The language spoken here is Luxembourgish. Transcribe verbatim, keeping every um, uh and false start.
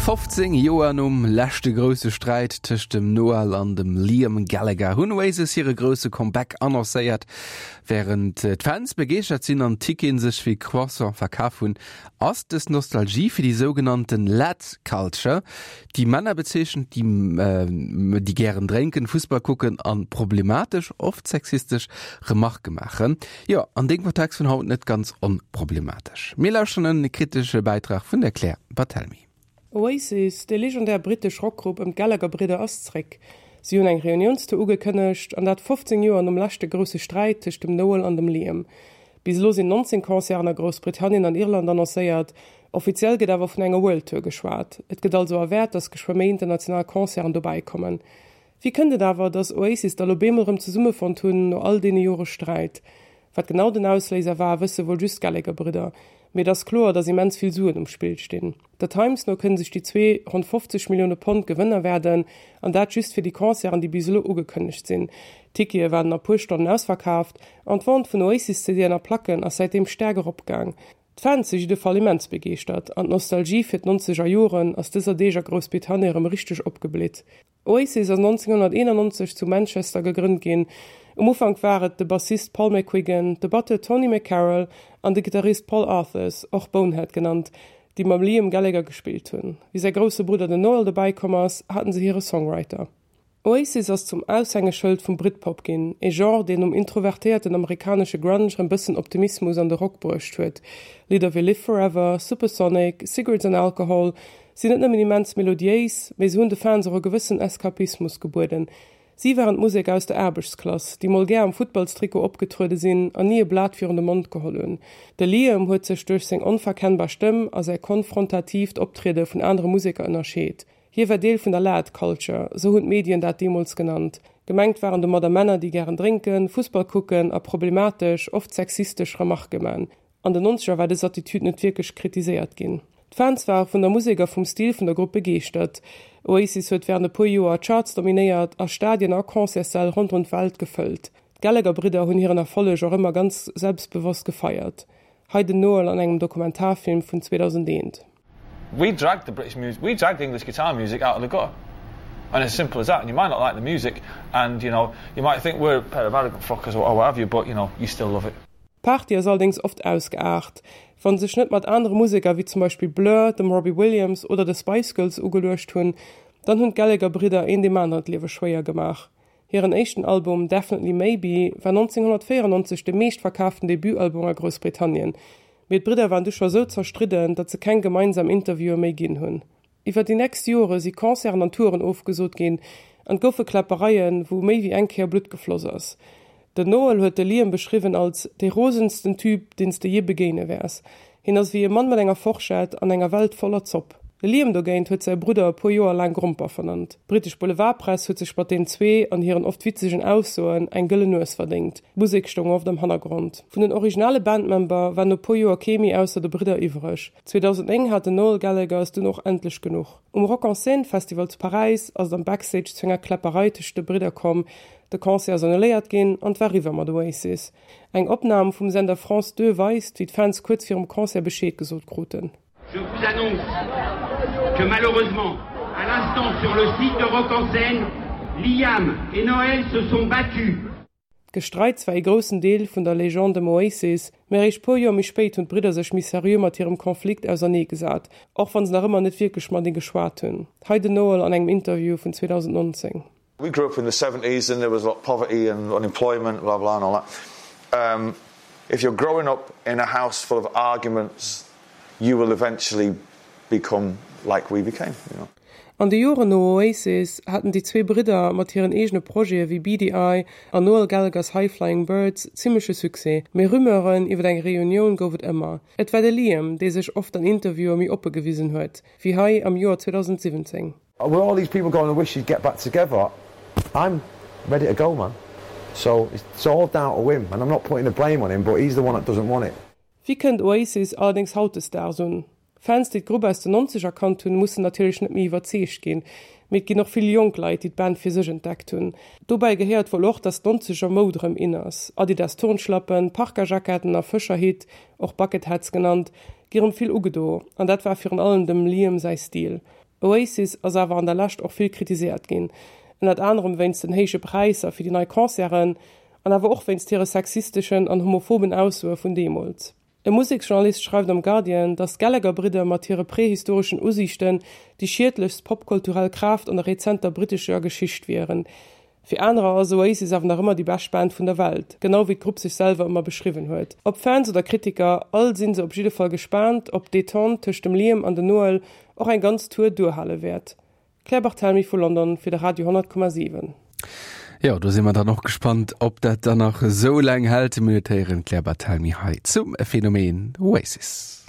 Fofzéng Joer nom leschte grousse Sträit tëscht dem Noel an dem Liam Gallagher hunn Oasis hire grousse Comeback annoncéiert. Wärend d'Fans begeeschtert sinn an d'Ticketen sech wéi Croissant verkaf hunn, ass dës Nostalgie fir déi sougenannten Lad Culture, déi Männer bezeechent, déi déi gären drénken, Fussball kucken an problematesch, oft sexistesch Remarke maachen, jo an deem Kontext vun haut net ganz onproblematesch. Mir lauschteren e kritesche Bäitrag vun der Claire Barthelmy. Oasis, déi legendär brittesch Rockgrupp ëm d'Gallagher-Bridder ass zréck. Si hunn eng Reuniounstour ugekënnegt, an dat fofzéng Joer nom leschte grousse Sträit tëscht dem Noel an dem Liam. Bis elo sinn nonzéng Concerten a Groussbritannien an Irland annoncéiert, offiziell gëtt awer vun enger World Tour geschwat. Et gëtt also erwaart, datt geschwë méi international Concerten dobäi kommen. Wéi kënnt et awer, datt Oasis da lo bemol erëm zesummefonnt hunn, no all deene Jore Sträit? Wat genau den Ausléiser war, wësse wuel just d'Gallagher-Bridder. Mee et ass kloer, datt immens vill Suen um Spill stinn. Der Times no kënne sech déi zwee ronn fofzeg Millioune Pond Gewënn erwaarden, an dat just fir déi Concerten, déi bis elo ugekënnegt sinn. D'Tickete waren a puer Stonnen ausverkaaft an d'Vente vun Oasis-C Dën a Placken ass säitdeem staark eropgaang. D'Fans si jidde Fall immens begeeschtert an d'Nostalgie fir d'nonzeger Joren ass dëser Deeg a Groussbritannien erëm richteg opgeblitt. Oasis ass nonzénghonnerteenannonzeg zu Manchester gegrënnt ginn. Um Ufank war et de Bassist Paul McGuigan, de Batteur Tony McCarroll an de Gittarist Paul Arthurs, och Bonehead genannt, déi mam Liam Gallagher gespillt hunn. Wéi säi grousse Brudder den Noel dobäi komm ass, haten se hire Songwriter. Oasis ass zum Aushängeschëld vum Britpop ginn, e Genre, deen nom introvertéierten amerikanesche Grunge rëm bëssen Optimismus an de Rock bruecht huet. Lidder wéi Live Forever, Supersonic, Cigarettes and Alcohol sinn net nëmmen immens melodiéis, mee se hunn de Fans och e gewëssen Eskapismus gebueden. Si waren d'Musek aus der Aarbechtsklass, déi mol gär am Futtballstrikot opgetruede sinn an ni e Blat virun de Mond geholl hunn. De Liam huet sech duerch seng onverkennbar Stëmm a säi konfrontatiivt Optriede vun anere Museker ënnerscheet. Hie war Deel vun der Lad Culture, sou hunn d'Medien dat deemools genannt. Gemengt waren domadder Männer, déi gären drénken, Fussball kucken a problematesch, oft sexistesch Remarke man. An den Nonzeger war dës Attitüd net wierklech kritiséiert ginn. D'Fans ware vun der Musek a vum Stil vun der Grupp begeeschtert. Oasis huet wärend e puer Joer d'Charts dominéiert a Stadien a Concertssäll ronderëm d'Welt gefëllt. D'Gallagher-Bridder hunn hiren Erfolleg och ëmmer ganz selbstbewosst gefeiert. Hei den Noel an engem Dokumentarfilm vun zweedausendeent. We dragged the British music, we dragged English guitar music out of the gutter. And as simple as that. And you might not like the music, and you know, you might think we're a pair of arrogant fuckers or, or what have you, but you know, you still love it. D'Party ass allerdéngs oft ausgeaart. Wann se sech net mat anere Museker wéi zum Beispill Blur, dem Robbie Williams oder de Spice Girls ugeluecht hunn, dann hunn d'Gallagher-Bridder een deem aneren d'Liewe schwéier gemaach. Hiren éischten Album Definitely Maybe war nonzénghonnertvéierennonzeg de meeschtverkaaften Debutalbum a Groussbritannien. Mee d'Bridder waren du scho sou zerstridden, datt se keng gemeinsam Interviewe méi ginn hunn. Iwwer déi nächst Jore si Concerten an Touren ofgesot ginn an et goufe Kläppereien, wou méi wéi eng Kéier Blutt gefloss ass. Den Noel huet de Liam beschriwwen als dee rosensten Typ, deen s de jee begéine wäers. Hien ass wéi e Mann mat enger Forschett an enger Welt voller Zopp. De Liam dogéint huet säi Brudder e puer Joer laang Gromper vernannt. D'brittesch Boulevardpress huet sech mat den zwee an hiren oft witzegen Aussoen eng gëllen Nues verdéngt. D'Musek stoung oft am Hannergrond. Vun den originale Bandmember war no puer Joer kee méi ausser de Bridder iwwreg. zweedausendnéng hat den Noel Gallagher es dunn och endlech genuch. Um Rock en Seine Festival zu Paräis ass et am Backstage zu enger Kläpperei tëscht de Bridder komm. De Concert ass annuléiert ginn an et war eriwwer mat Oasis. Eng Opnam vum Sender France Deux weist, wéi d'Fans kuerz virum Concert Bescheed gesot kruten. Je vous annonce que malheureusement, à l'instant sur le site de Rock en Seine, Liam et Noel se sont battus. D'Gestreits war ee groussen Deel vun der Legende ëm Oasis, mä eréischt puer Joer méi spéit hunn d'Bridder sech méi seriö mat hirem Konflikt ausernee gesat, och wann se nach ëmmer net wierklech matenee geschwat hunn. Hei den Noel an engem Interview vun zweedausendnonzéng. We grew up in the seventies and there was a lot of poverty and unemployment, blah blah and all that. Um, if you're growing up in a house full of arguments, you will eventually become like we became, you know. An de Joren no Oasis haten déi zwee Bridder mat hiren eegene Projete wéi Beady Eye an Noel Gallagher's High Flying Birds zimmleche Succès, mee Rumeuren iwwer eng Reunioun gouf et ëmmer. Et war de Liam, dee sech oft an Interviewe méi oppe gewisen huet, wéi hei am Joer zweedausentsiwwenzéng. With all these people going, I wish you'd get back together, I'm ready to go, man. So it's all down to him, and I'm not putting the blame on him, but he's the one that doesn't want it. Wéi kënnt Oasis allerdéngs hautdesdaags un? Fans, déi d'Grupp aus den Nonzeger kannt hunn, mussen natierlech net méi iwwerzeegt ginn, mee et ginn och vill jonk Leit, déi d'Band fir sech entdeckt hunn. Dobäi gehéiert wuel och, dass d'Nonzeger Moud erëm in ass. Adidas Turnschlappen, Parka-Jacketten a Fëscherhitt, och Bucket Hats genannt, gi rëm vill ugedo, an dat war virun allem dem Liam säi Stil. Oasis ass awer an der Lescht och vill kritiséiert ginn, ënnert anerem wéinst den héije Präisser fir déi nei Concerten an awer och wéinst hire sexisteschen an homophoben Aussoe vun deemools. E Museksjournalist schreift am Guardian, datt d'Gallagher-Bridder mat hire prehistoreschen Usiichten déi schiedlechst popkulturell Kraaft an der rezenter brittescher Geschicht wieren. Fir anerer ass Oasis awer nach ëmmer déi bescht Band vun der Welt, genau wéi d'Grupp sech selwer ëmmer beschriwwen huet. Ob Fans oder Kritiker, all si se op jidde Fall gespaant, ob d'Detente tëscht dem Liam an dem Noel och eng ganz Tour duerhale wäert. Claire Barthelmy vu London fir de Radio honnert Komma siwen. Jo, do si mer dann och gespannt, ob dat dann nach esou laang hält. Mir héieren d'Claire Barthelmy hei zum Phänomen Oasis.